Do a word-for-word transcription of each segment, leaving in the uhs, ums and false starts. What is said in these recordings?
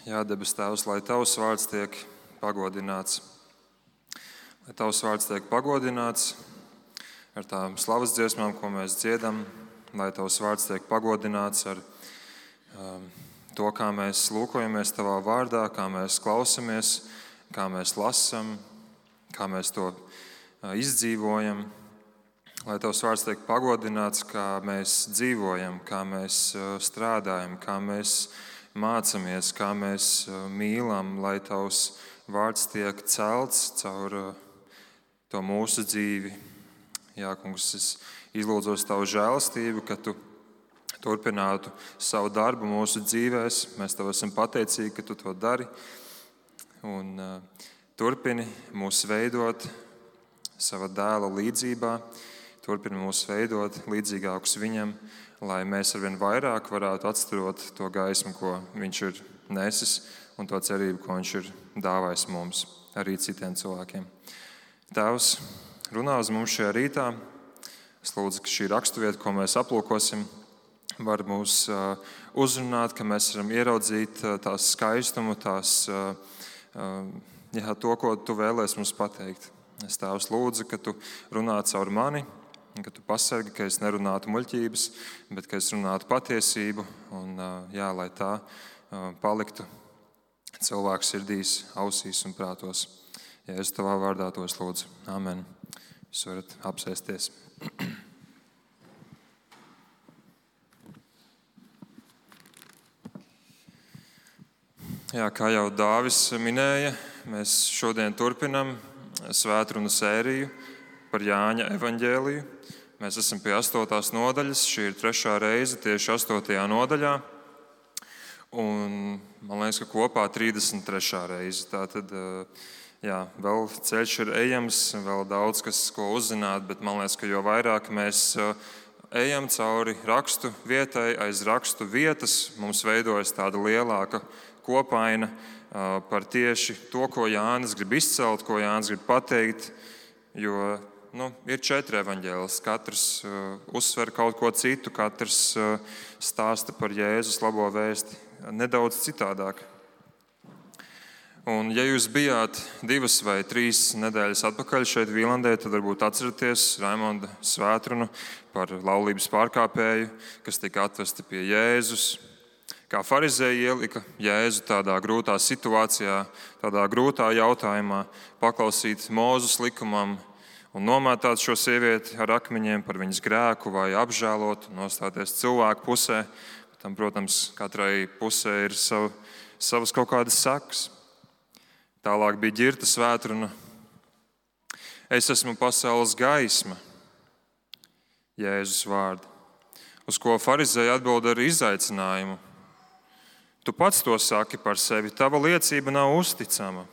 Jā, debes Tēvs, lai Tavs vārds tiek pagodināts. Lai Tavs vārds tiek pagodināts ar tām slavas dziesmām, ko mēs dziedam. Lai Tavs vārds tiek pagodināts ar um, to, kā mēs lūkojamies Tavā vārdā, kā mēs klausamies, kā mēs lasam, kā mēs to uh, izdzīvojam. Lai Tavs vārds tiek pagodināts, kā mēs dzīvojam, kā mēs uh, strādājam, kā mēs mācamies, kā mēs mīlam, lai Tavs vārds tiek celts caur to mūsu dzīvi. Jā, Kungs, es izlūdzos Tavu žēlastību, ka Tu turpinātu savu darbu mūsu dzīvēs. Mēs Tev esam pateicīgi, ka Tu to dari. Un uh, turpini mūs veidot sava dēla līdzībā. Turpini mūs veidot līdzīgākus Viņam, lai mēs arvien vairāk varētu atstarot to gaismu, ko Viņš ir nesis, un to cerību, ko Viņš ir dāvājis mums, arī citiem cilvēkiem. Tēvs, runā uz mums šajā rītā. Es lūdzu, ka šī raksturvieta, ko mēs aplūkosim, var mūs uh, uzrunāt, ka mēs varam ieraudzīt uh, tās skaistumu, tās, uh, uh, jā, to, ko Tu vēlēsi mums pateikt. Es Tēvs lūdzu, ka Tu runā caur mani, ka Tu pasargi, ka es nerunātu muļķības, bet ka es runātu patiesību, un jā, lai tā paliktu cilvēku sirdīs, ausīs un prātos. Ja es Tavā vārdā tos lūdzu. Amen. Jūs varat apsēsties. Jā, kā jau Dāvis minēja, mēs šodien turpinam svētrunu sēriju par Jāņa evaņģēliju. Mēs esam pie astotās nodaļas, šī ir trešā reize tieši astotajā nodaļā, un man liekas, ka kopā trīsdesmit trešā reize. Tātad, jā, vēl ceļš ir ejams, vēl daudz kas, ko uzzināt, bet man liekas, ka jo vairāk mēs ejam cauri rakstu vietai, aiz rakstu vietas, mums veidojas tāda lielāka kopaina par tieši to, ko Jānis grib izcelt, ko Jānis grib pateikt, jo Nu, ir četri evaņģēlis, katrs uh, uzsver kaut ko citu, katrs uh, stāsta par Jēzus labo vēsti nedaudz citādāk. Un, ja jūs bijāt divas vai trīs nedēļas atpakaļ šeit Vīlandē, tad varbūt atceraties Raimonda svētrunu par laulības pārkāpēju, kas tika atvesti pie Jēzus. Kā farizēji ielika Jēzu tādā grūtā situācijā, tādā grūtā jautājumā, paklausīt Mūzes likumam, un nomētāt šo sievieti ar akmeņiem par viņas grēku vai apžēlot, nostāties cilvēku pusē. Tam, protams, katrai pusē ir sav, savas kaut kādas sekas. Tālāk bija ģirta svētruna. Es esmu pasaules gaisma, Jēzus vārdi, uz ko farizēji atbild ar izaicinājumu. Tu pats to saki par sevi, tava liecība nav uzticama.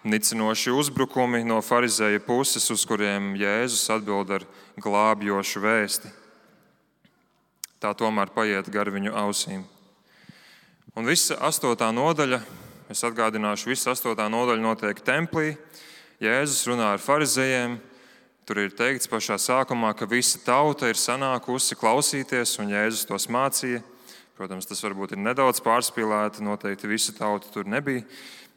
Nicinoši uzbrukumi no farizēja puses, uz kuriem Jēzus atbild ar glābjošu vēsti. Tā tomēr paiet gar viņu ausīm. Un visa astotā nodaļa, es atgādināšu, visa astotā nodaļa notiek templī. Jēzus runā ar farizējiem. Tur ir teikts pašā sākumā, ka visa tauta ir sanākusi klausīties, un Jēzus tos mācīja. Protams, tas varbūt ir nedaudz pārspīlēti, noteikti visa tauta tur nebija,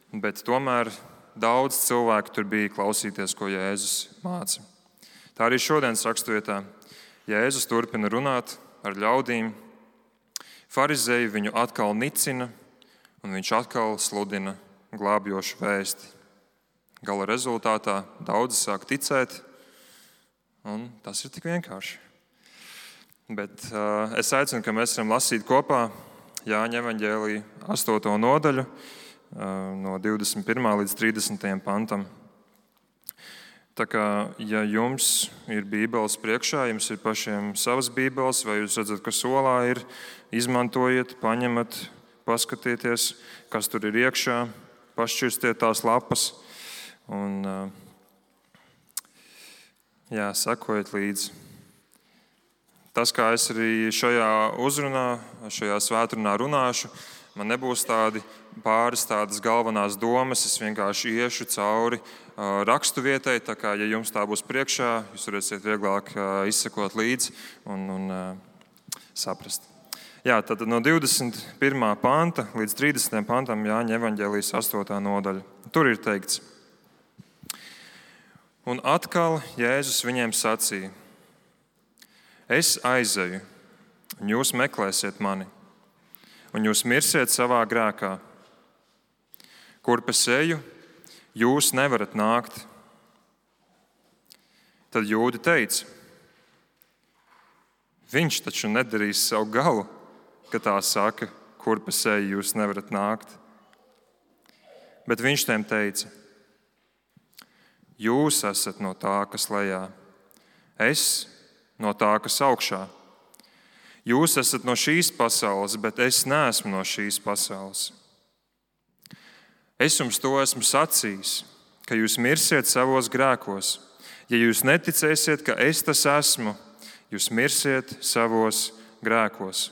bet tomēr daudz cilvēku tur bija klausīties, ko Jēzus māca. Tā arī šodienas raksturvietā Jēzus turpina runāt ar ļaudīm. Farizēji viņu atkal nicina, un viņš atkal sludina glābjošu vēsti. Gala rezultātā daudzi sāk ticēt, un tas ir tik vienkārši. Bet uh, es aicinu, ka mēs varam lasīt kopā Jāņa evaņģēlija astoto nodaļu, no divdesmit pirmā līdz trīsdesmitajam pantam. Tā kā, ja jums ir bībeles priekšā, jums ir pašiem savas bībeles, vai jūs redzat, ka solā ir, izmantojiet, paņemat, paskatieties, kas tur ir iekšā, pašķirstiet tās lapas un jā, sekojiet līdzi. Tas, kā es arī šajā uzrunā, šajā svētrunā runāšu, man nebūs tādi pāris tādas galvenās domas, es vienkārši iešu cauri uh, rakstu vietai, tā kā, ja jums tā būs priekšā, jūs varēsiet vieglāk uh, izsekot līdzi un, un uh, saprast. Jā, tad no divdesmit pirmā panta līdz trīsdesmitajam pantam Jāņa evaņģēlijas astotā nodaļa. Tur ir teikts: Un atkal Jēzus viņiem sacīja: Es aizeju, un jūs meklēsiet mani, un jūs mirsiet savā grēkā. Kurp es eju, jūs nevarat nākt. Tad jūdi teica: Viņš taču nedarīs savu galu, ka tā saka, kurp es eju, jūs nevarat nākt. Bet viņš tiem teica: Jūs esat no tā, kas lejā, es no tā, kas augšā. Jūs esat no šīs pasaules, bet es neesmu no šīs pasaules. Es jums to esmu sacījis, ka jūs mirsiet savos grēkos. Ja jūs neticēsiet, ka es tas esmu, jūs mirsiet savos grēkos.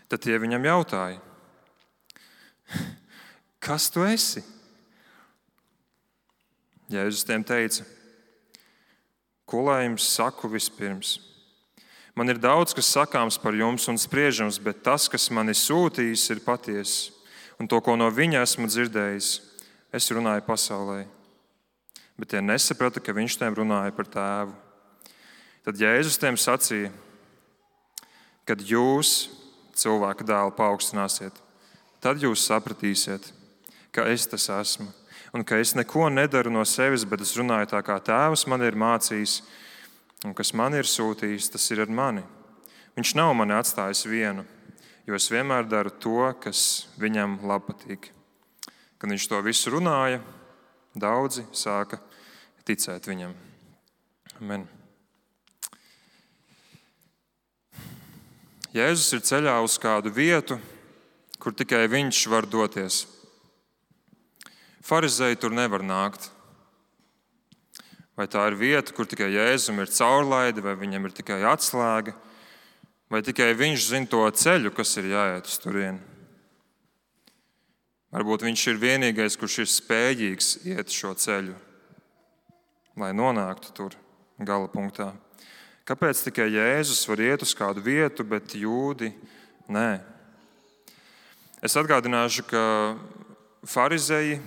Tad tie viņam jautāja: Kas tu esi? Jēzus tiem teica: Ko lai jums saku vispirms? Man ir daudz, kas sakāms par jums un spriežams, bet tas, kas mani sūtījis, ir patiess. Un to, ko no viņa esmu dzirdējis, es runāju pasaulē. Bet tie nesaprata, ka viņš tiem runāja par tēvu. Tad Jēzus tiem sacīja: Kad jūs cilvēka dēlu paaugstināsiet, tad jūs sapratīsiet, ka es tas esmu. Un ka es neko nedaru no sevis, bet es runāju tā, kā tēvs man ir mācījis, un kas man ir sūtījis, tas ir ar mani. Viņš nav mani atstājis vienu, jo es vienmēr daru to, kas viņam labpatīk. Kad viņš to visu runāja, daudzi sāka ticēt viņam. Amen. Jēzus ir ceļā uz kādu vietu, kur tikai viņš var doties. Farizēji tur nevar nākt. Vai tā ir vieta, kur tikai Jēzum ir caurlaide, vai viņam ir tikai atslēga, vai tikai viņš zina to ceļu, kas ir jāiet uz turieni. Varbūt viņš ir vienīgais, kurš ir spējīgs iet šo ceļu, lai nonāktu tur gala punktā. Kāpēc tikai Jēzus var iet uz kādu vietu, bet jūdi nē? Es atgādināšu, ka farizēji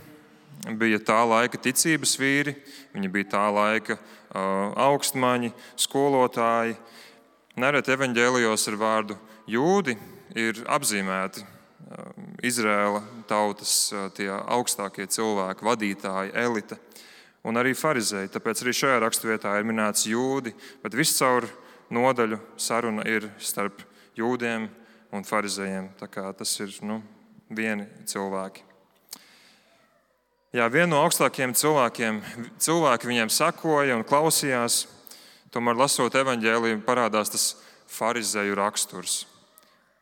bija tā laika ticības vīri, viņi bija tā laika uh, augstmaņi, skolotāji. Nereti evaņģēlijos ar vārdu jūdi ir apzīmēti uh, Izraēla tautas uh, tie augstākie cilvēki, vadītāji, elite un arī farizēji. Tāpēc arī šajā raksturvietā ir minēts jūdi, bet viscaur nodaļu saruna ir starp jūdiem un farizējiem. Tā kā tas ir nu, vieni cilvēki. Jā, viena no augstākajiem cilvēkiem, cilvēki viņiem sakoja un klausījās, tomēr lasot evaņģēliju parādās tas farizēju raksturs.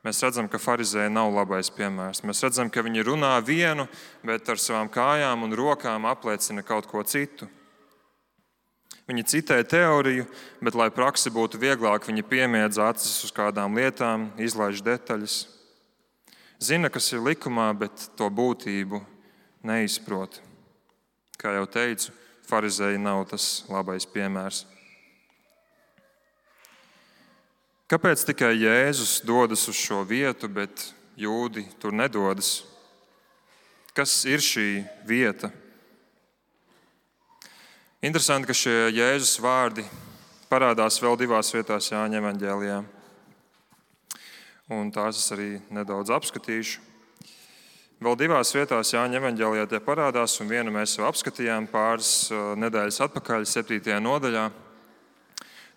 Mēs redzam, ka farizēji nav labais piemērs. Mēs redzam, ka viņi runā vienu, bet ar savām kājām un rokām apliecina kaut ko citu. Viņi citē teoriju, bet, lai praksi būtu vieglāk, viņi piemiedz acis uz kādām lietām, izlaiž detaļas. Zina, kas ir likumā, bet to būtību neizprot. Kā jau teicu, farizēji nav tas labais piemērs. Kāpēc tikai Jēzus dodas uz šo vietu, bet jūdi tur nedodas? Kas ir šī vieta? Interesanti, ka šie Jēzus vārdi parādās vēl divās vietās Jāņa evaņģēlijā. Un tās es arī nedaudz apskatīšu. Vēl divās vietās Jāņa evaņģēlijā tie parādās, un vienu mēs jau apskatījām pāris nedēļas atpakaļ, septītajā nodaļā.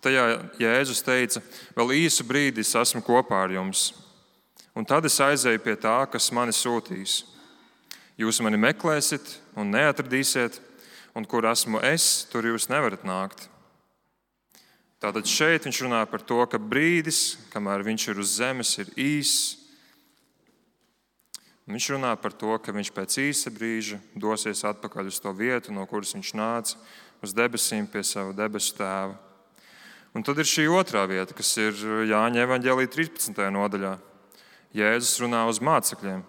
Tajā Jēzus teica: Vēl īsu brīdi es esmu kopā ar jums, un tad es aizēju pie tā, kas mani sūtīs. Jūs mani meklēsiet un neatradīsiet, un kur esmu es, tur jūs nevarat nākt. Tātad šeit viņš runā par to, ka brīdis, kamēr viņš ir uz zemes, ir īss. Viņš runā par to, ka viņš pēc īsa brīža dosies atpakaļ uz to vietu, no kuras viņš nāca, uz debesīm pie sava debesu tēva. Un tad ir šī otrā vieta, kas ir Jāņa evaņģēlija trīspadsmitajā nodaļā. Jēzus runā uz mācekļiem.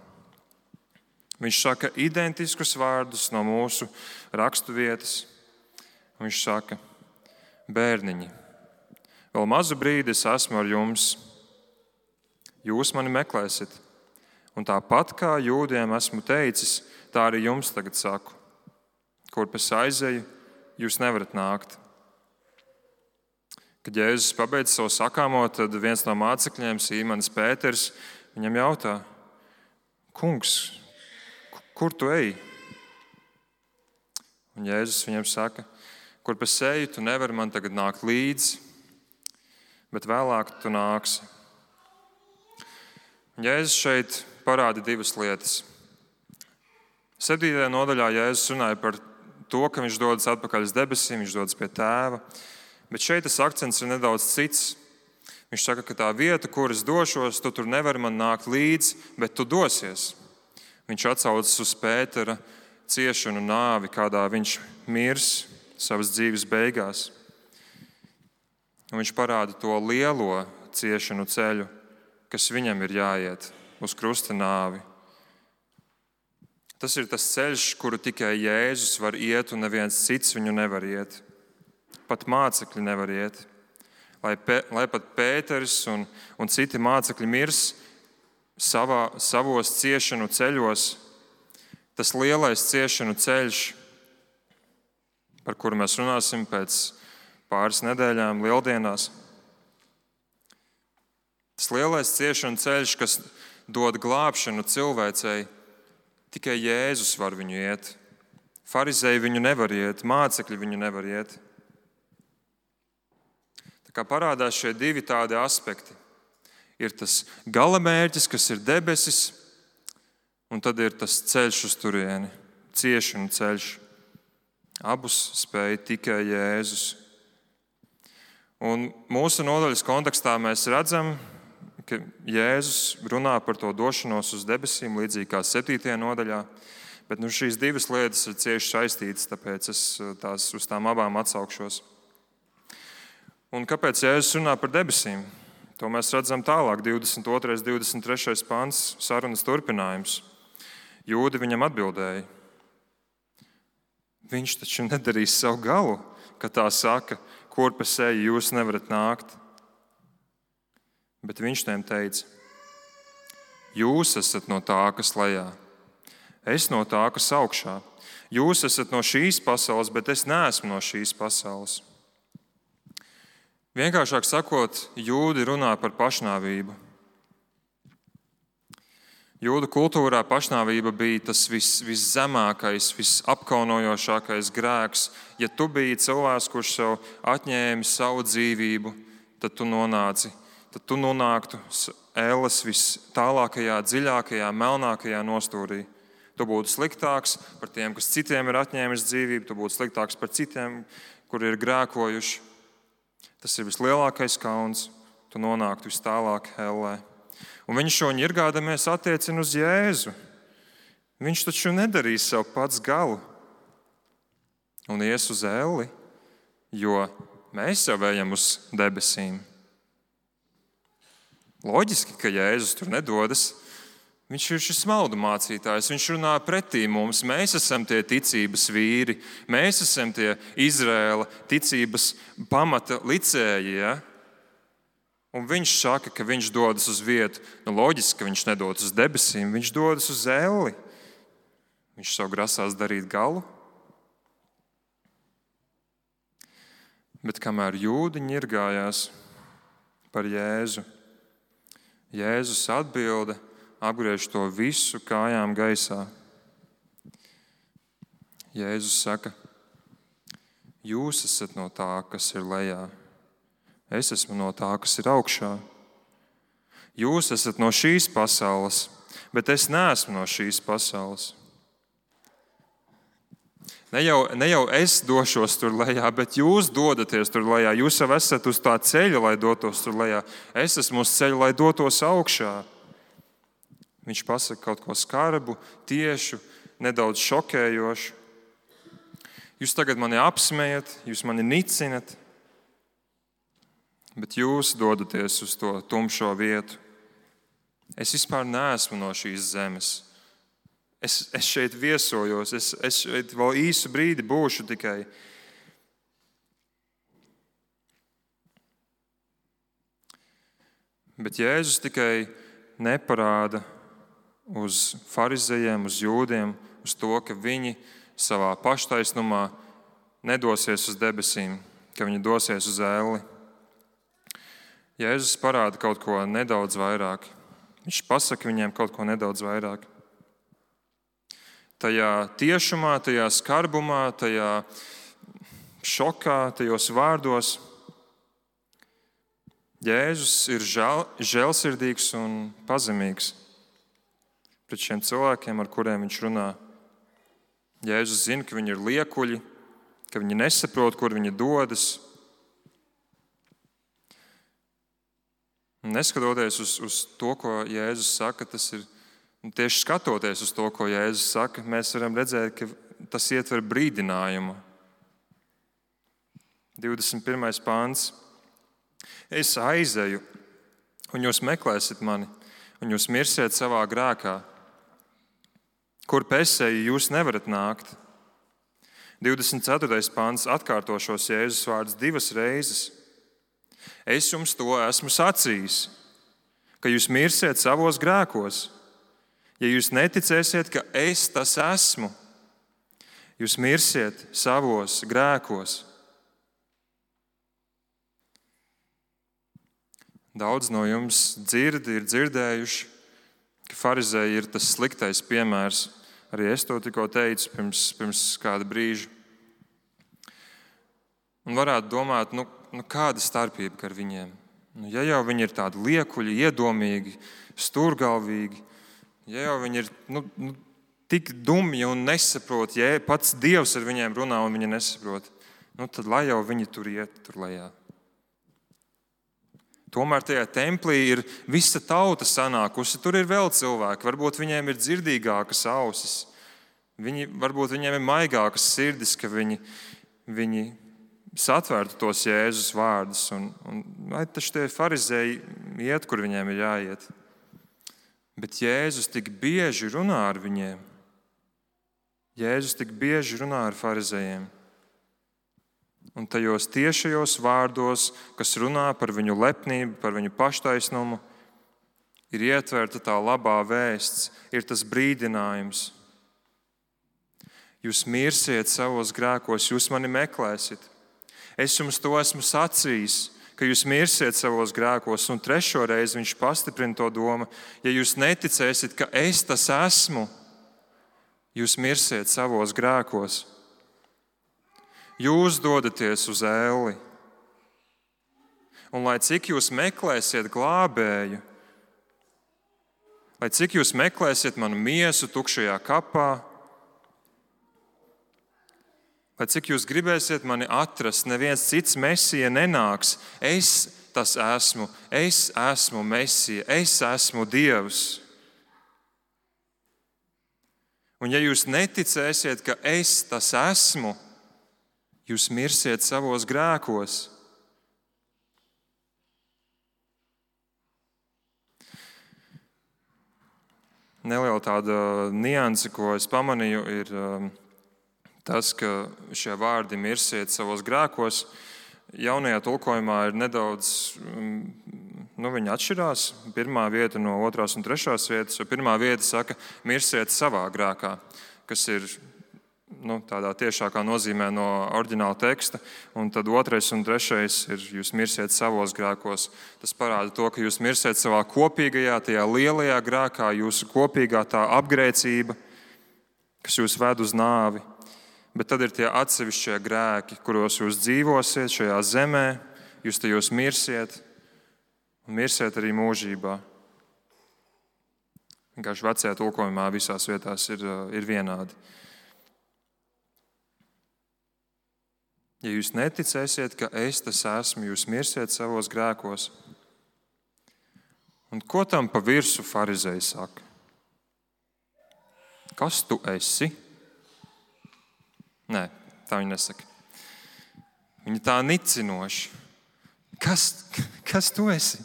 Viņš saka identiskus vārdus no mūsu raksturvietas. Viņš saka: Bērniņi, vēl mazu brīdi es esmu ar jums. jūs mani meklēsiet. Un tāpat kā jūdiem esmu teicis, tā arī jums tagad saku. Kurp es aizeju, jūs nevarat nākt. Kad Jēzus pabeidz savu sakāmo, tad viens no mācekļiem, Sīmanis Pēters, viņam jautā: Kungs, kur tu ej? Un Jēzus viņam saka: Kurp es eju, tu nevari man tagad nākt līdzi, bet vēlāk tu nāksi. Un Jēzus šeit parāda divas lietas. Septītajā nodaļā Jēzus runāja par to, ka viņš dodas atpakaļ uz debesīm, viņš dodas pie Tēva. Bet šeit tas akcents ir nedaudz cits. Viņš saka, ka tā vieta, kur es došos, tu tur nevari man nākt līdzi, bet tu dosies. Viņš atsaucas uz Pētera ciešanu nāvi, kādā viņš mirs savas dzīves beigās. Un viņš parāda to lielo ciešanu ceļu, kas viņam ir jāiet uz krusta nāvi. Tas ir tas ceļš, kuru tikai Jēzus var iet, un neviens cits viņu nevar iet. Pat mācekļi nevar iet. Lai, pe, lai pat Pēteris un, un citi mācekļi mirs savā, savos ciešanu ceļos, tas lielais ciešanu ceļš, par kuru mēs runāsim pēc pāris nedēļām lieldienās. Tas lielais ciešanu ceļš, kas dod glābšanu cilvēcei, tikai Jēzus var viņu iet. Farizēji viņu nevar iet, mācekļi viņu nevar iet. Tā kā parādās šie divi tādi aspekti. Ir tas galamērķis, kas ir debesis, un tad ir tas ceļš uz turieni, ciešanu ceļš. Abus spēja tikai Jēzus. Un mūsu nodaļas kontekstā mēs redzam, ka Jēzus runā par to došanos uz debesīm, līdzīgi kā septītajā nodaļā, bet nu, šīs divas lietas ir cieši saistītas, tāpēc es tās, uz tām abām atsaukšos. Un kāpēc Jēzus runā par debesīm? To mēs redzam tālāk, divdesmit otrais, divdesmit trešais pants, sarunas turpinājums. Jūdi viņam atbildēja: Viņš taču nedarīs savu galu, ka tā saka, kurp es eju, jūs nevarat nākt. Bet viņš tiem teica: Jūs esat no tā, kas lejā, es no tā, kas augšā. Jūs esat no šīs pasaules, bet es neesmu no šīs pasaules. Vienkāršāk sakot, jūdi runā par pašnāvību. Jūdu kultūrā pašnāvība bija tas vis, viszemākais, visapkaunojošākais grēks. Ja tu biji cilvēks, kurš sev atņēma savu dzīvību, tad tu nonāci, tad tu nonāktu ēles vis tālākajā, dziļākajā, melnākajā nostūrī. Tu būtu sliktāks par tiem, kas citiem ir atņēmis dzīvību, tu būtu sliktāks par citiem, kuri ir grēkojuši. Tas ir vislielākais kauns, tu nonāktu vis tālāk ellē. Un viņš šo ņirgādamies attiecina uz Jēzu. Viņš taču nedarīs savu pats galu un ies uz elli, jo mēs jau ejam uz debesīm. Loģiski, ka Jēzus tur nedodas. Viņš ir šis maldu mācītājs, viņš runā pretī mums. Mēs esam tie ticības vīri, mēs esam tie Izraēla ticības pamata licēji. Ja? Un viņš saka, ka viņš dodas uz vietu. Nu, loģiski, ka viņš nedodas uz debesīm, viņš dodas uz elli. Viņš savu grasās darīt galu. Bet kamēr jūdi ņirgājās par Jēzu, Jēzus atbilda, apgriež to visu kājām gaisā. Jēzus saka: Jūs esat no tā, kas ir lejā. Es esmu no tā, kas ir augšā. Jūs esat no šīs pasaules, bet es neesmu no šīs pasaules. Ne jau, ne jau es došos tur lejā, bet jūs dodaties tur lejā. Jūs jau esat uz tā ceļa, lai dotos tur lejā. Es esmu uz ceļa, lai dotos augšā. Viņš pasaka kaut ko skarbu, tiešu, nedaudz šokējošu. Jūs tagad mani apsmējat, jūs mani nicinat, bet jūs dodaties uz to tumšo vietu. Es vispār neesmu no šīs zemes. Es, es šeit viesojos, es, es šeit vēl īsu brīdi būšu tikai. Bet Jēzus tikai neparāda uz farizejiem, uz jūdiem, uz to, ka viņi savā paštaisnumā nedosies uz debesīm, ka viņi dosies uz ēli. Jēzus parāda kaut ko nedaudz vairāk. Viņš pasaka viņiem kaut ko nedaudz vairāk. Tajā tiešumā, tajā skarbumā, tajā šokā, tajos vārdos Jēzus ir žēl, žēlsirdīgs un pazemīgs pret šiem cilvēkiem, ar kuriem viņš runā. Jēzus zina, ka viņi ir liekuļi, ka viņi nesaprot, kur viņi dodas. Neskatoties uz, uz to, ko Jēzus saka, tas ir tieši skatoties uz to, ko Jēzus saka, mēs varam redzēt, ka tas ietver brīdinājumu. divdesmit pirmais pāns. Es aizeju, un jūs meklēsiet mani, un jūs mirsiet savā grēkā. Kur pesēju jūs nevarat nākt. divdesmit ceturtais pāns atkārto šos Jēzus vārdus divas reizes. Es jums to esmu sacījis, ka jūs mirsiet savos grēkos. Ja jūs neticēsiet, ka es tas esmu, jūs mirsiet savos grēkos. Daudz no jums dzird, ir dzirdējuši, ka farizēji ir tas sliktais piemērs. Arī es to tikko teicu pirms, pirms kāda brīža. Un varētu domāt, nu, nu kāda starpība ar viņiem? Nu, ja jau viņi ir tādi liekuļi, iedomīgi, stūrgalvīgi, ja jau viņi ir nu, nu, tik dumji un nesaprot, ja pats Dievs ar viņiem runā un viņi nesaprot, nu, tad lai jau viņi tur iet, tur lejā. Tomēr tajā templī ir visa tauta sanākusi. Tur ir vēl cilvēki. Varbūt viņiem ir dzirdīgākas ausis. Viņi, varbūt viņiem ir maigākas sirdis, ka viņi, viņi satvērtu tos Jēzus vārdus. Un, un, lai taču tie farizēji iet, kur viņiem ir jāiet. Bet Jēzus tik bieži runā ar viņiem. Jēzus tik bieži runā ar farizējiem. Un tajos tiešajos vārdos, kas runā par viņu lepnību, par viņu paštaisnumu, ir ietverta tā labā vēsts, ir tas brīdinājums. Jūs mirsiet savos grēkos, jūs mani meklēsiet. Es jums to esmu sacījis, ka jūs mirsiet savos grēkos. Un trešo reizi viņš pastiprina to domu, ja jūs neticēsiet, ka es tas esmu, jūs mirsiet savos grēkos. Jūs dodaties uz ēli. Un lai cik jūs meklēsiet glābēju, lai cik jūs meklēsiet manu miesu tukšajā kapā, lai cik jūs gribēsiet mani atrast, neviens cits Mesija nenāks. Es tas esmu, es esmu Mesija, es esmu Dievs. Un ja jūs neticēsiet, ka es tas esmu, jūs mirsiet savos grēkos. Neliela tāda nianse, ko es pamanīju, ir tas, ka šie vārdi mirsiet savos grēkos. Jaunajā tulkojumā ir nedaudz, nu viņi atšķirās. Pirmā vieta no otrās un trešās vietas, jo pirmā vieta saka mirsiet savā grēkā, kas ir nu, tādā tiešākā nozīmē no oriģināla teksta, un tad otrais un trešais ir jūs mirsiet savos grēkos. Tas parāda to, ka jūs mirsiet savā kopīgajā, tajā lielajā grēkā, jūsu kopīgā tā apgrēcība, kas jūs ved uz nāvi. Bet tad ir tie atsevišķie grēki, kuros jūs dzīvosiet šajā zemē, jūs tajos mirsiet, un mirsiet arī mūžībā. Vienkārši vecajā tulkojumā visās vietās ir, ir vienādi. Ja jūs neticēsiet, ka es tas esmu, jūs mirsiet savos grēkos. Un ko tam pa virsu farizēji saka? Kas tu esi? Nē, tā viņi nesaka. Viņi tā nicinoši. Kas, kas tu esi?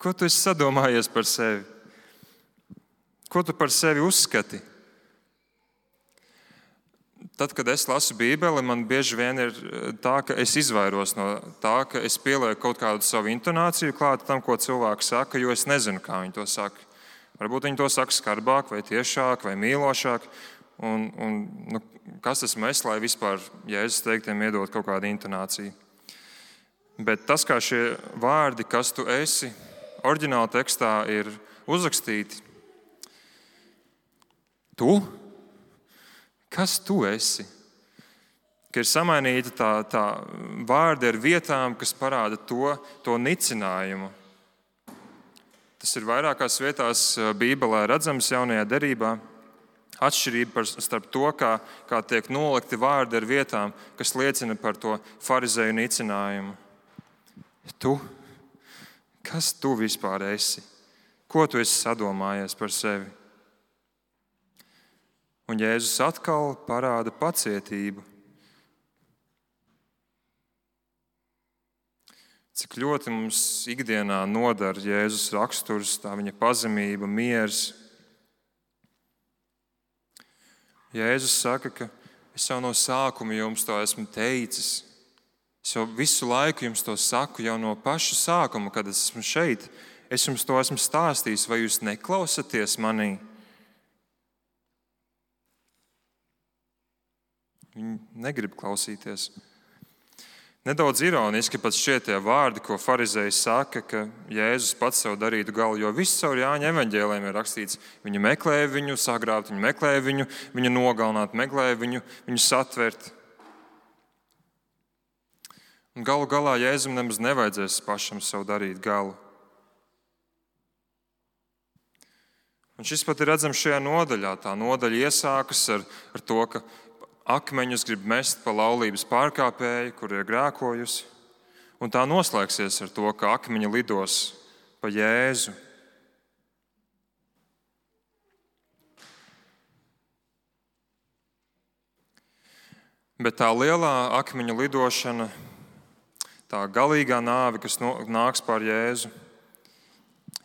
Ko tu esi sadomājies par sevi? Ko tu par sevi uzskati? tad, kad es lasu Bībeli, man bieži vien ir tā, ka es izvairos no tā, ka es pielieku kaut kādu savu intonāciju klāt tam, ko cilvēks saka, jo es nezinu, kā viņi to saka. Varbūt viņi to saka skarbāk, vai tiešāk, vai mīlošāk. Un, un, nu, kas esmu es, lai vispār Jēzus teiktiem iedot kaut kādu intonāciju? Bet tas, kā šie vārdi, kas tu esi, oriģināla tekstā ir uzrakstīti. Tu? Kas tu esi? Ka ir samainīta tā, tā vārdi ar vietām, kas parāda to, to nicinājumu. Tas ir vairākās vietās Bībelē redzams Jaunajā derībā. Atšķirība starp to, kā, kā tiek nolikti vārdi ar vietām, kas liecina par to farizeju nicinājumu. Tu? Kas tu vispār esi? Ko tu esi sadomājies par sevi? Un Jēzus atkal parāda pacietību. Cik ļoti mums ikdienā nodara Jēzus raksturs, tā viņa pazemība, miers. Jēzus saka, ka es jau no sākuma jums to esmu teicis. Es jau visu laiku jums to saku, jau no paša sākuma, kad es esmu šeit. Es jums to esmu stāstījis, vai jūs neklausaties manī? Viņi negrib klausīties. Nedaudz ironiski pat šķiet tie vārdi, ko farizēji saka, ka Jēzus pats sev darītu galu, jo viss caur Jāņa evaņģēliem ir rakstīts. Viņi meklēja viņu sagrābt, viņi meklēja viņu, viņu nogalināt, meklēja viņu, viņu satvert. Un galu galā Jēzum nemaz nevajadzēs pašam sev darīt galu. Un šis pat ir redzams šajā nodaļā. Tā nodaļa iesākas ar, ar to, ka akmeņus grib mest pa laulības pārkāpēju, kur ir grēkojusi. Un tā noslēgsies ar to, ka akmeņi lidos pa Jēzu. Bet tā lielā akmeņu lidošana, tā galīgā nāve, kas no, nāks pār Jēzu,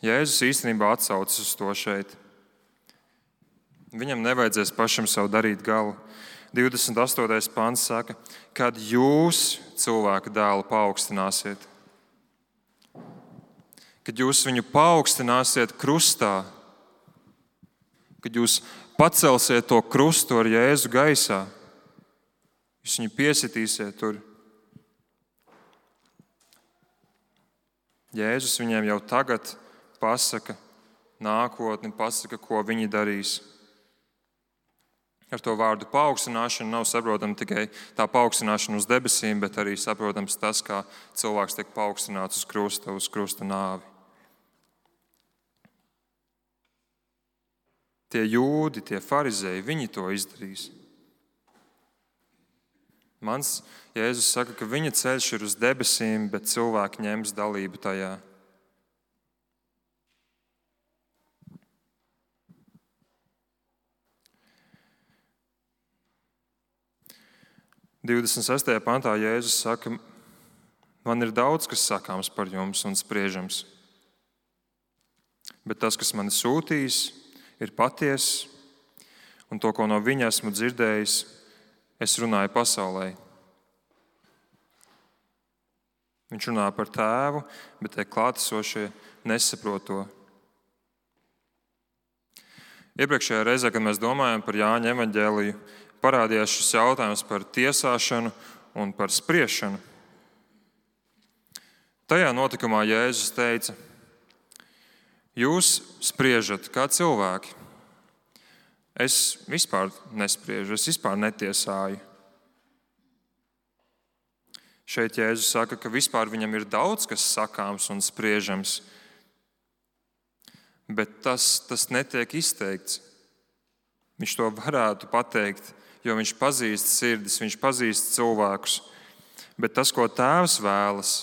Jēzus īstenībā atsaucas uz to šeit. Viņam nevajadzēs pašam sev darīt galu. divdesmit astotais pants saka, kad jūs cilvēka dēlu paaugstināsiet. Kad jūs viņu paaugstināsiet krustā, kad jūs pacelsiet to krustu ar Jēzu gaisā, jūs viņu piesitīsiet tur. Jēzus viņiem jau tagad pasaka nākotni, pasaka, ko viņi darīs. Ar to vārdu paaugstināšanu nav saprotama tikai tā paaugstināšana uz debesīm, bet arī saprotams tas, kā cilvēks tiek paaugstināts uz krusta, uz krusta nāvi. Tie jūdi, tie farizēji, viņi to izdarīs. Mans Jēzus saka, ka viņa ceļš ir uz debesīm, bet cilvēki ņems dalību tajā. divdesmit sestajā pantā Jēzus saka, man ir daudz, kas sakāms par jums un spriežams. Bet tas, kas mani sūtīs, ir patiess, un to, ko no viņa esmu dzirdējis, es runāju pasaulē. Viņš runā par tēvu, bet tie klātesošie nesaprot to. Iepriekšējā reizē, kad mēs domājam par Jāņa evaņģēliju, parādījās šis jautājums par tiesāšanu un par spriešanu. Tajā notikumā Jēzus teica, jūs spriežat kā cilvēki. Es vispār nespriežu, es vispār netiesāju. Šeit Jēzus saka, ka vispār viņam ir daudz, kas sakāms un spriežams, bet tas, tas netiek izteikts. Viņš to varētu pateikt, jo viņš pazīst sirdis, viņš pazīst cilvēkus. Bet tas, ko tēvs vēlas,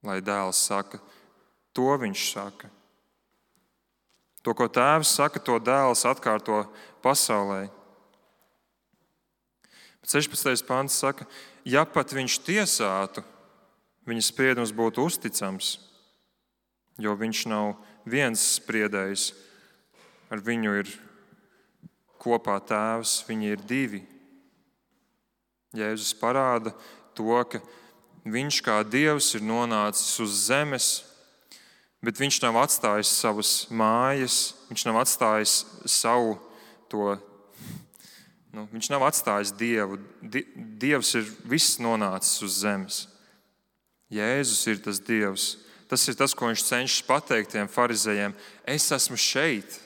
lai dēls saka, to viņš saka. To, ko tēvs saka, to dēls atkārto pasaulē. sešpadsmitais pants saka, ja pat viņš tiesātu, viņa spriedums būtu uzticams, jo viņš nav viens spriedējs, ar viņu ir kopā Tēvs, viņi ir divi. Jēzus parāda to, ka viņš kā Dievs ir nonācis uz zemes, bet viņš nav atstājis savas mājas, viņš nav atstājis savu to, nu, viņš nav atstājis Dievu. Dievs ir viss nonācis uz zemes. Jēzus ir tas Dievs. Tas ir tas, ko viņš cenšas pateikt tiem farizejiem. Es esmu šeit.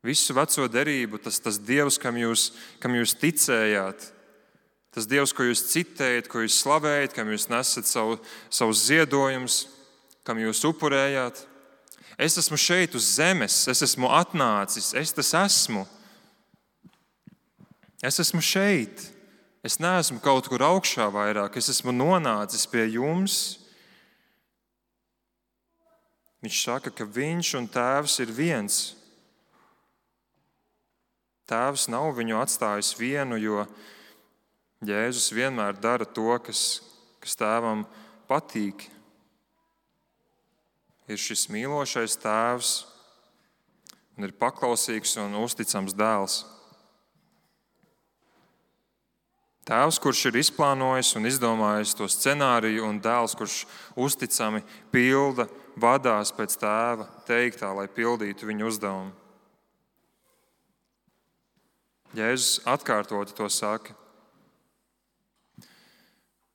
Visu veco derību, tas, tas Dievs, kam jūs, kam jūs ticējāt, tas Dievs, ko jūs citējat, ko jūs slavējat, kam jūs nesat savu, savus ziedojumus, kam jūs upurējāt. Es esmu šeit uz zemes, es esmu atnācis, es tas esmu. Es esmu šeit. Es neesmu kaut kur augšā vairāk, es esmu nonācis pie jums. Viņš saka, ka viņš un Tēvs ir viens. Tēvs nav viņu atstājis vienu, jo Jēzus vienmēr dara to, kas, kas Tēvam patīk. Ir šis mīlošais Tēvs un ir paklausīgs un uzticams dēls. Tēvs, kurš ir izplānojis un izdomājis to scenāriju, un dēls, kurš uzticami pilda, vadās pēc Tēva teiktā, lai pildītu viņu uzdevumu. Jēzus atkārtoti to saka.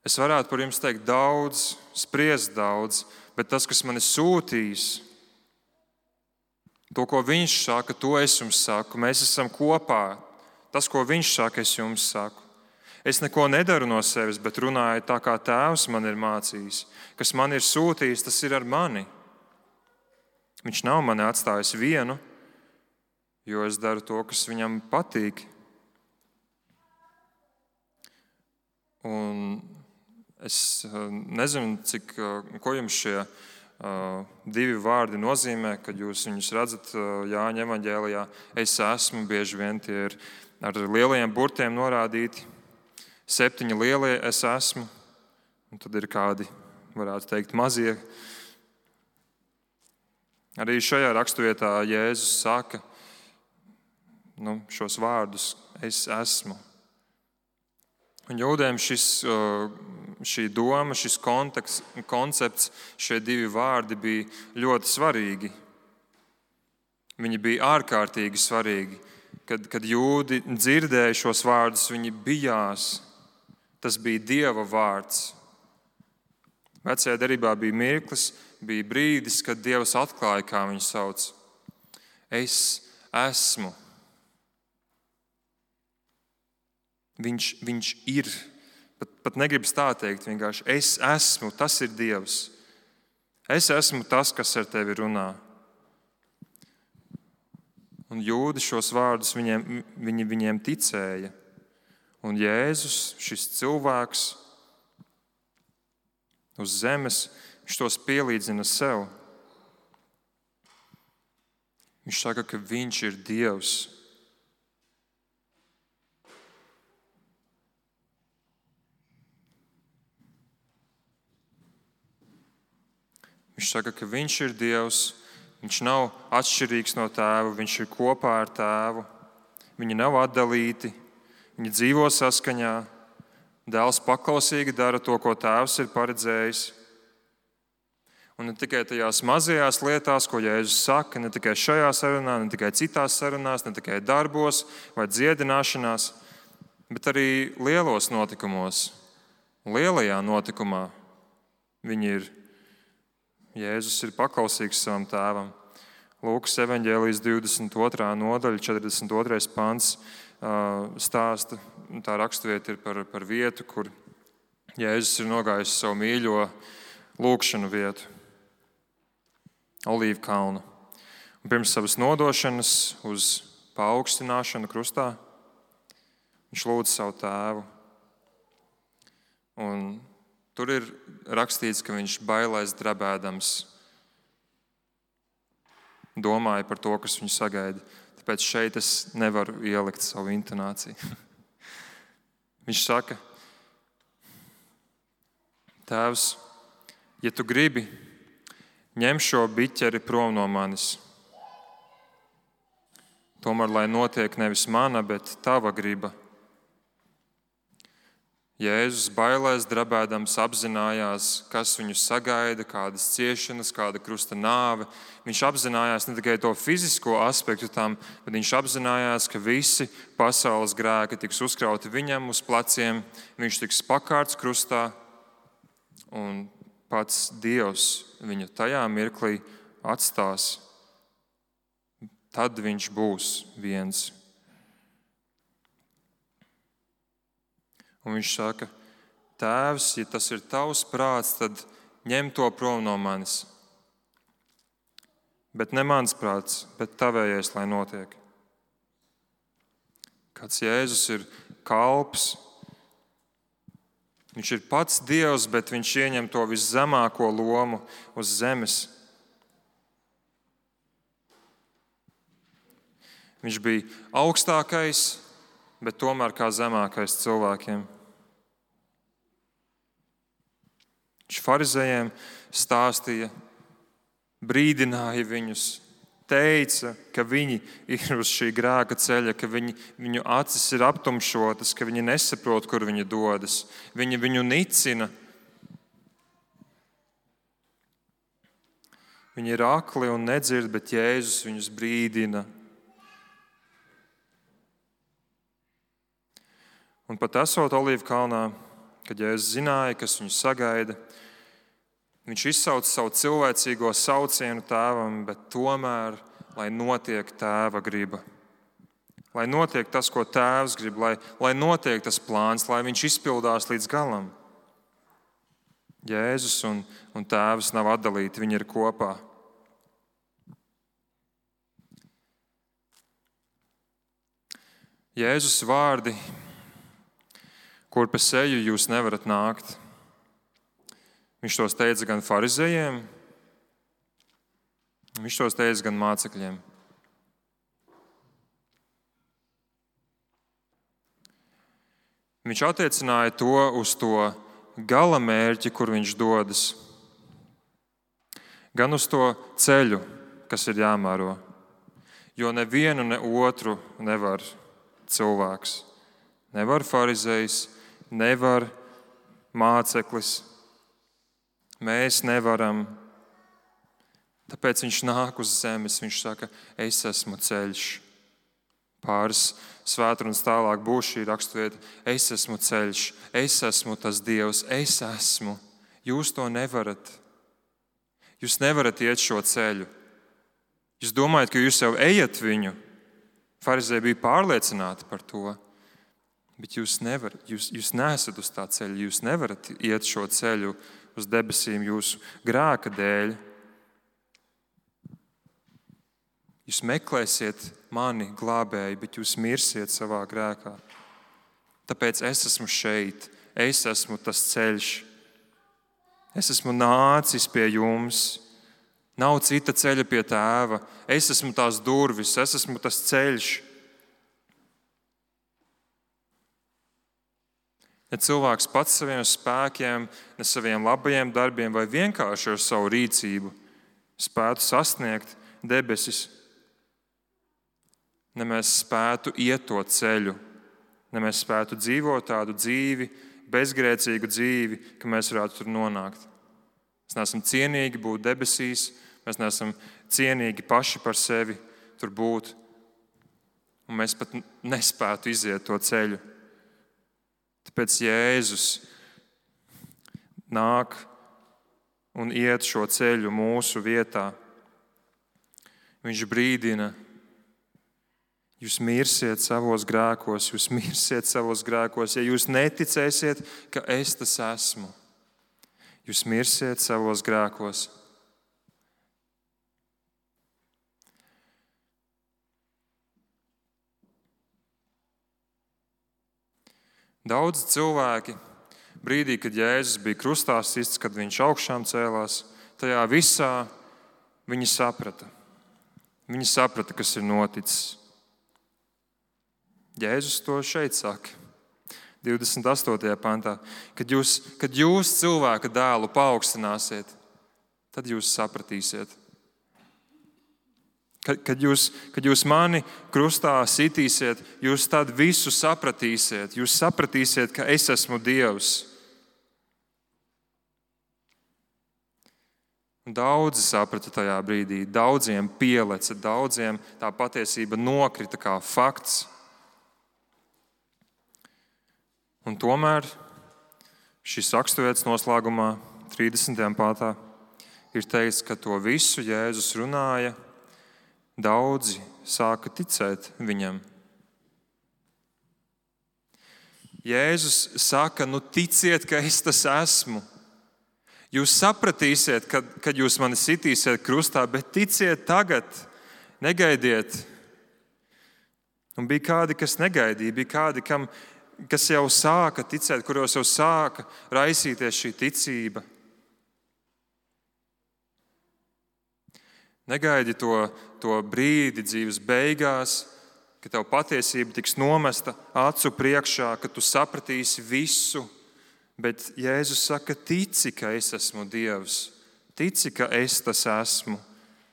Es varētu par jums teikt daudz, spriest daudz, bet tas, kas mani sūtīs, to, ko viņš saka, to es jums saku. Mēs esam kopā. Tas, ko viņš saka, es jums saku. Es neko nedaru no sevis, bet runāju tā, kā Tēvs man ir mācījis. Kas man ir sūtījis, tas ir ar mani. Viņš nav mani atstājis vienu, jo es daru to, kas viņam patīk. Un es nezinu, cik, ko jums šie uh, divi vārdi nozīmē, kad jūs viņus redzat uh, Jāņa evaņģēlijā. Es esmu, bieži vien tie ir ar lielajiem burtiem norādīti. Septiņi lielie es esmu, un tad ir kādi, varētu teikt, mazie. Arī šajā raksturvietā Jēzus saka nu, šos vārdus es esmu. Un jūdiem šis, šī doma, šis konteksts, koncepts, šie divi vārdi bija ļoti svarīgi. Viņi bija ārkārtīgi svarīgi. Kad, kad jūdi dzirdēja šos vārdus, viņi bijās. Tas bija Dieva vārds. Vecajā derībā bija mirklis, bija brīdis, kad Dievs atklāja, kā viņu sauc. Es esmu. Viņš, viņš ir. Pat, pat negribas tā teikt, vienkārši es esmu, tas ir Dievs. Es esmu tas, kas ar tevi runā. Un jūdi šos vārdus viņiem, viņi, viņiem ticēja. Un Jēzus, šis cilvēks uz zemes, viņš tos pielīdzina sev. Viņš saka, ka viņš ir Dievs. Viņš saka, ka viņš ir Dievs. Viņš nav atšķirīgs no Tēva, viņš ir kopā ar Tēvu. Viņi nav atdalīti. Viņi dzīvo saskaņā, dēls paklausīgi dara to, ko Tēvs ir paredzējis. Un ne tikai tajās mazajās lietās, ko Jēzus saka, ne tikai šajā sarunā, ne tikai citās sarunās, ne tikai darbos vai dziedināšanās, bet arī lielos notikumos. Lielajā notikumā viņi ir, Jēzus ir paklausīgs savam Tēvam. Lūkas evaņģēlijas divdesmit otrā nodaļa, četrdesmit otrais pants. Stāsta, tā raksturvieta ir par, par vietu, kur Jēzus ir nogājis savu mīļo lūgšanu vietu, Olīvu kalnu. Un pirms savas nodošanas uz paaugstināšanu krustā viņš lūdz savu Tēvu. Un tur ir rakstīts, ka viņš bailēs drebēdams domāja par to, kas viņu sagaida. Tāpēc šeit es nevaru ielikt savu intonāciju. Viņš saka, Tēvs, ja tu gribi, ņem šo biķeri prom no manis. Tomēr, lai notiek nevis mana, bet tava griba. Jēzus bailēs drebēdams apzinājās, kas viņu sagaida, kādas ciešanas, kāda krusta nāve. Viņš apzinājās ne tikai to fizisko aspektu tam, bet viņš apzinājās, ka visi pasaules grēki tiks uzkrauti viņam uz pleciem, viņš tiks pakārts krustā un pats Dievs viņu tajā mirklī atstās. Tad viņš būs viens. Un viņš saka, Tēvs, ja tas ir tavs prāts, tad ņem to prom no manis. Bet ne mans prāts, bet tavējais, lai notiek. Kāds Jēzus ir kalps, viņš ir pats Dievs, bet viņš ieņem to viszemāko lomu uz zemes. Viņš bija augstākais, bet tomēr kā zemākais cilvēkiem. Viņš farizējiem stāstīja, brīdināja viņus, teica, ka viņi ir uz šī grēka ceļa, ka viņi, viņu acis ir aptumšotas, ka viņi nesaprot, kur viņi dodas. Viņi viņu nicina. Viņi ir akli un nedzird, bet Jēzus viņus brīdina. Un pat esot Olīvu kalnā, kad Jēzus zināja, kas viņu sagaida, viņš izsauca savu cilvēcīgo saucienu tēvam, bet tomēr, lai notiek tēva griba. Lai notiek tas, ko tēvs grib, lai, lai notiek tas plāns, lai viņš izpildās līdz galam. Jēzus un, un tēvs nav atdalīti, viņi ir kopā. Jēzus vārdi, kur pa seju jūs nevarat nākt. Viņš tos teica gan farizējiem, viņš tos teica gan mācekļiem. Viņš attiecināja to uz to gala mērķi, kur viņš dodas, gan uz to ceļu, kas ir jāmēro. Jo nevienu, ne otru nevar cilvēks. Nevar farizējs, nevar māceklis. Mēs nevaram. Tāpēc viņš nāk uz zemes, viņš saka, es esmu ceļš. Pāris svētrunas tālāk būs šī raksturvieta, es esmu ceļš, es esmu tas Dievs, es esmu. Jūs to nevarat. Jūs nevarat iet šo ceļu. Jūs domājat, ka jūs jau ejat viņu. Farizēji bija pārliecināti par to. Bet jūs nevarat, jūs, jūs neesat uz tā ceļa, jūs nevarat iet šo ceļu uz debesīm jūsu grēka dēļ. Jūs meklēsiet mani glābēju, bet jūs mirsiet savā grēkā. Tāpēc es esmu šeit, es esmu tas ceļš. Es esmu nācis pie jums. Nav cita ceļa pie tēva. Es esmu tās durvis, es esmu tas ceļš. Ne cilvēks pats saviem spēkiem, ne saviem labajiem darbiem vai vienkārši ar savu rīcību spētu sasniegt debesis. Ne mēs spētu iet to ceļu, ne mēs spētu dzīvot tādu dzīvi, bezgrēcīgu dzīvi, ka mēs varētu tur nonākt. Mēs neesam cienīgi būt debesīs, mēs neesam cienīgi paši par sevi tur būt, un mēs pat nespētu iziet to ceļu. Tāpēc Jēzus nāk un iet šo ceļu mūsu vietā. Viņš brīdina, jūs mirsiet savos grēkos, jūs mirsiet savos grēkos, ja jūs neticēsiet, ka es tas esmu. Jūs mirsiet savos grēkos. Daudzi cilvēki brīdī, kad Jēzus bija krustā sists, kad viņš augšām cēlās, tajā visā viņi saprata. Viņi saprata, kas ir noticis. Jēzus to šeit saka, divdesmit astotajā pantā. Kad jūs, kad jūs cilvēka dēlu paaugstināsiet, tad jūs sapratīsiet, Kad, kad, jūs, kad jūs mani krustā sitīsiet, jūs tad visu sapratīsiet. Jūs sapratīsiet, ka es esmu Dievs. Daudzi saprata tajā brīdī, daudziem pieleca, daudziem tā patiesība nokrita kā fakts. Un tomēr šis raksturvietas noslēgumā, trīsdesmitajā pāntā, ir teikts, ka to visu Jēzus runāja. Daudzi sāka ticēt viņam. Jēzus saka, nu ticiet, ka es tas esmu. Jūs sapratīsiet, kad, kad jūs mani sitīsiet krustā, bet ticiet tagad, negaidiet. Un bija kādi, kas negaidīja, bija kādi, kam, kas jau sāka ticēt, kuros jau sāka raisīties šī ticība. Negaidi to, to brīdi dzīves beigās, ka tev patiesība tiks nomesta acu priekšā, ka tu sapratīsi visu. Bet Jēzus saka, tici, ka es esmu Dievs. Tici, ka es tas esmu.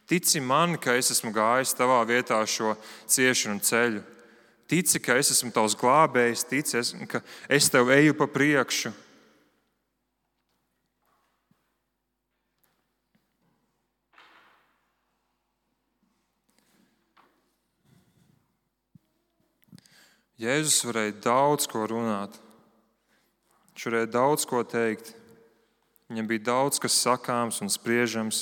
Tici man, ka es esmu gājis tavā vietā šo ciešanu ceļu. Tici, ka es esmu tavs glābējs. Tici, ka es tev eju pa priekšu. Jēzus varēja daudz ko runāt. Viņš varēja daudz ko teikt. Viņam bija daudz kas sakāms un spriežams.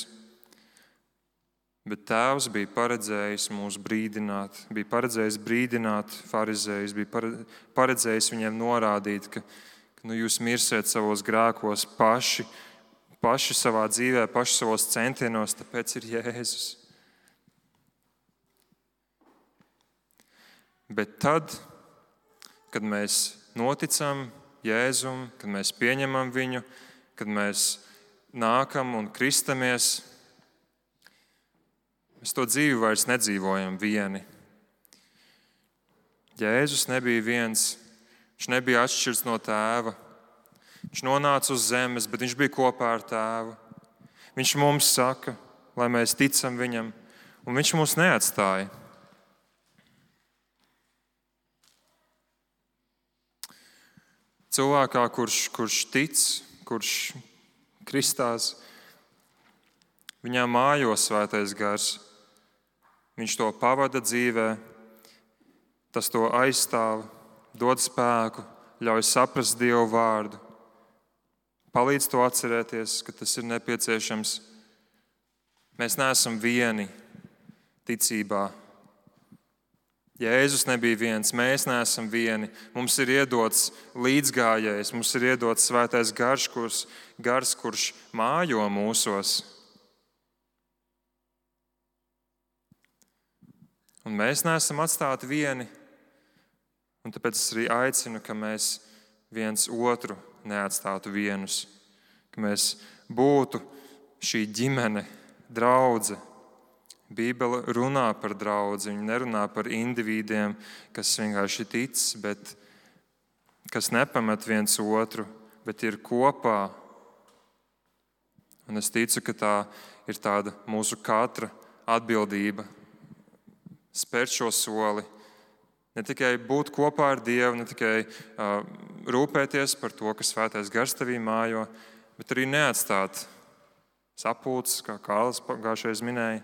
Bet Tēvs bija paredzējis mūs brīdināt, bija paredzējis brīdināt farizējus, bija paredzējis viņiem norādīt, ka, ka nu, jūs mirsiet savos grēkos paši, paši savā dzīvē, paši savos centienos, tāpēc ir Jēzus. Bet tad, kad mēs noticam Jēzum, kad mēs pieņemam viņu, kad mēs nākam un kristamies, mēs to dzīvi vairs nedzīvojam vieni. Jēzus nebija viens, viņš nebija atšķirts no Tēva. Viņš nonāca uz zemes, bet viņš bija kopā ar Tēvu. Viņš mums saka, lai mēs ticam viņam, un viņš mūs neatstāja. Cilvēkā, kurš, kurš tic, kurš kristās, viņā mājo Svētais Gars. Viņš to pavada dzīvē, tas to aizstāv, dod spēku, ļauj saprast Dievu vārdu. Palīdz to atcerēties, ka tas ir nepieciešams. Mēs neesam vieni ticībā. Jēzus nebija viens, mēs neesam vieni. Mums ir iedots līdzgājējs, mums ir iedots Svētais Gars, kurš, gars, kurš mājo mūsos. Un mēs neesam atstāti vieni. Un tāpēc es arī aicinu, ka mēs viens otru neatstātu vienus. Ka mēs būtu šī ģimene, draudze. Bībele runā par draudzi, viņa nerunā par indivīdiem, kas vienkārši tic, bet kas nepamet viens otru, bet ir kopā. Un es ticu, ka tā ir tāda mūsu katra atbildība spērt šo soli. Ne tikai būt kopā ar Dievu, ne tikai uh, rūpēties par to, ka Svētais Gars tevī mājo, bet arī neatstāt sapulces, kā Kārlis pagājušajā minēja.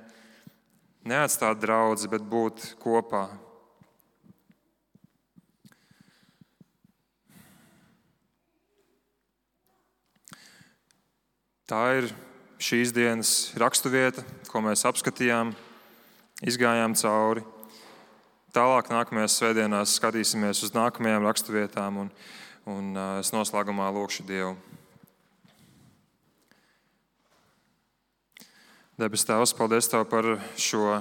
Neatstāt draudzi, bet būt kopā. Tā ir šīs dienas raksturvieta, ko mēs apskatījām, izgājām cauri. Tālāk nākamajās svētdienās skatīsimies uz nākamajām raksturvietām, un, un es noslēgumā lūkšu Dievu. Debes Tēvs, paldies Tev par šo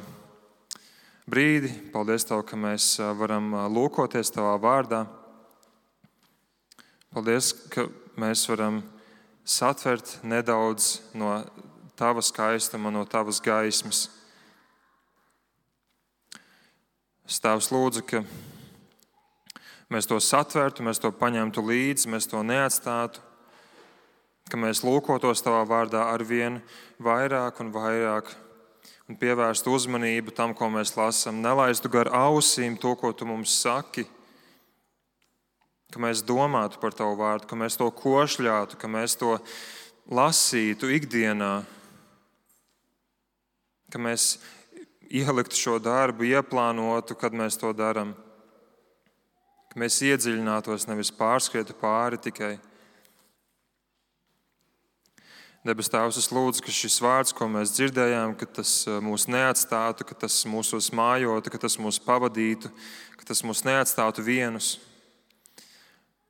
brīdi. Paldies Tev, ka mēs varam lūkoties Tavā vārdā. Paldies, ka mēs varam satvert nedaudz no Tava skaistuma, no Tavas gaismas. Es Tēvs lūdzu, ka mēs to satvertu, mēs to paņemtu līdzi, mēs to neatstātu, ka mēs lūkotos Tavā vārdā arvien vairāk un vairāk, un pievērstu uzmanību tam, ko mēs lasām. Nelaistu gar ausīm to, ko tu mums saki, ka mēs domātu par tavu vārdu, ka mēs to košļātu, ka mēs to lasītu ikdienā, ka mēs ieliktu šo darbu, ieplānotu, kad mēs to darām, ka mēs iedziļinātos, nevis pārskrietu pāri tikai. Debes Tēvs, es lūdzu, ka šis vārds, ko mēs dzirdējām, ka tas mūs neatstātu, ka tas mūsos mājotu, ka tas mūs pavadītu, ka tas mūs neatstātu vienus.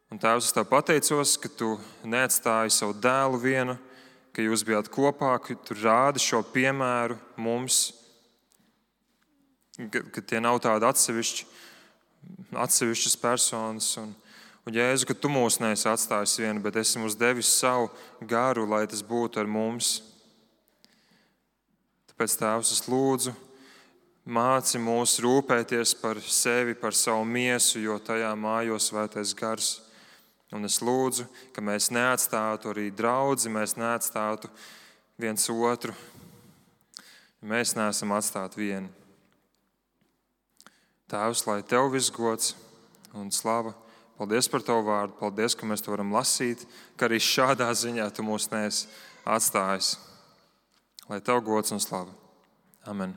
Un Tēvs, es Tev pateicos, ka Tu neatstāji savu dēlu vienu, ka Jūs bijāt kopā, ka Tu rādi šo piemēru mums, ka, ka tie nav tādi atsevišķi, atsevišķas personas. Un, un Jēzu, ka Tu mūs neesi atstājis vienu, bet esi mums devis savu garu, lai tas būtu ar mums. Tāpēc, Tēvs, es lūdzu, māci mūs rūpēties par sevi, par savu miesu, jo tajā mājo Svētais Gars. Un es lūdzu, ka mēs neatstātu arī draudzi, mēs neatstātu viens otru. Mēs neesam atstāti vieni. Tēvs, lai Tev viss gods un slava. Paldies par Tavu vārdu. Paldies, ka mēs to varam lasīt, ka arī šādā ziņā Tu mūs neesi atstājis. Lai Tev gods un slava. Amen.